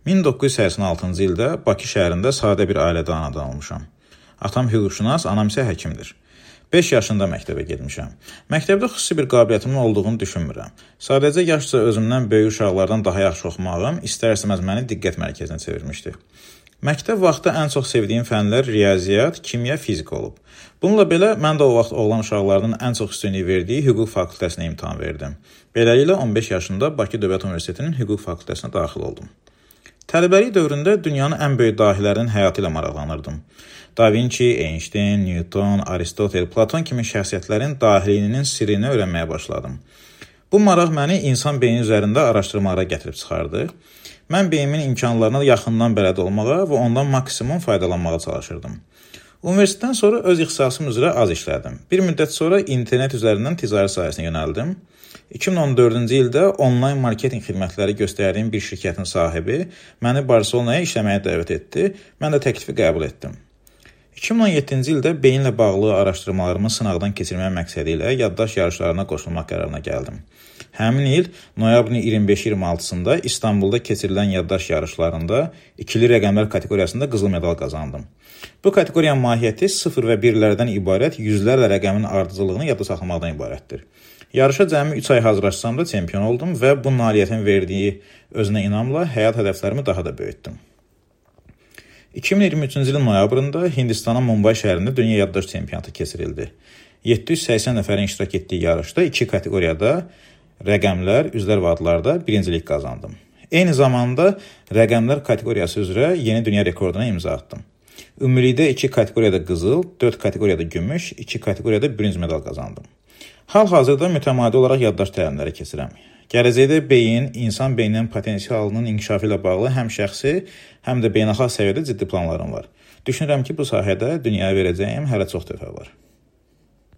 1986-cı ildə Bakı şəhərində sadə bir ailədə anadan olmuşam. Atam hüquqşünas, anam isə həkimdir. 5 yaşında məktəbə getmişəm. Məktəbdə xüsusi bir qabiliyyətimin olduğunu düşünmürəm. Sadəcə yaşca özümdən böyük uşaqlardan daha yaxşı oxumağım istər-istəməz məni diqqət mərkəzinə çevirmişdi. Məktəb vaxtı ən çox sevdiyim fənlər riyaziyyat, kimya, fizika olub. Bununla belə mən də o vaxt oğlan uşaqlarının ən çox üstünlük verdiyi hüquq fakültəsinə imtahan verdim. Beləliklə 15 yaşında Bakı Dövlət Universitetinin hüquq fakültəsinə daxil oldum. Tələbəlik dövründə dünyanın ən böyük dahilərinin həyatı ilə maraqlanırdım. Da Vinci, Einstein, Newton, Aristotel, Platon kimi şəxsiyyətlərin dahiliyinin sirrini öyrənməyə başladım. Bu maraq məni insan beyni üzərində araşdırmalara gətirib çıxardı. Mən beynimin imkanlarına yaxından bələd olmağa və ondan maksimum faydalanmağa çalışırdım. Universitetdən sonra öz ixtisasım üzrə az işlədim. Bir müddət sonra internet üzərindən ticarət sahəsinə yönəldim. 2014-cü ildə onlayn marketinq xidmətləri göstərdiyim bir şirkətin sahibi məni Barselonaya işləməyə dəvət etdi. Mən də təklifi qəbul etdim. 2017-ci ildə beyinlə bağlı araşdırmalarımı sınaqdan keçirmək məqsədi ilə yaddaş yarışlarına qoşulmaq qərarına gəldim. Həmin il noyabrın 25-26-sında İstanbulda keçirilən yaddaş yarışlarında ikili rəqəmlər kateqoriyasında qızıl medal qazandım. Bu kateqoriyanın mahiyyəti 0 və 1-lərdən ibarət yüzlərlə rəqəmin ardıcıllığını yadda saxlamaqdan ibarətdir. Yarışa cəmi 3 ay hazırlaşsam da çempion oldum və bu nailiyyətin verdiyi özünə inamla həyat hədəflərimi daha da böyütdüm. 2023-cü ilin noyabrında Hindistanın Mumbai şəhərində dünya yaddaş çempionatı keçirildi. 780 nəfərin iştirak etdiyi yarışda 2 kateqoriyada rəqəmlər, üzlər və adlarda birincilik qazandım. Eyni zamanda rəqəmlər kateqoriyası üzrə yeni dünya rekorduna imza atdım. Ümumilikdə 2 kateqoriyada qızıl, 4 kateqoriyada gümüş, 2 kateqoriyada bürünc medal qazandım. Hal-hazırda mütəmadi olaraq yaddaş təlimləri keçirəm. Gələcəkdə beyin, insan beyninin potensialının inkişafı ilə bağlı həm şəxsi, həm də beynəlxalq səviyyədə ciddi planlarım var. Düşünürəm ki, bu sahədə dünyaya verəcəyim hələ çox töhfə var.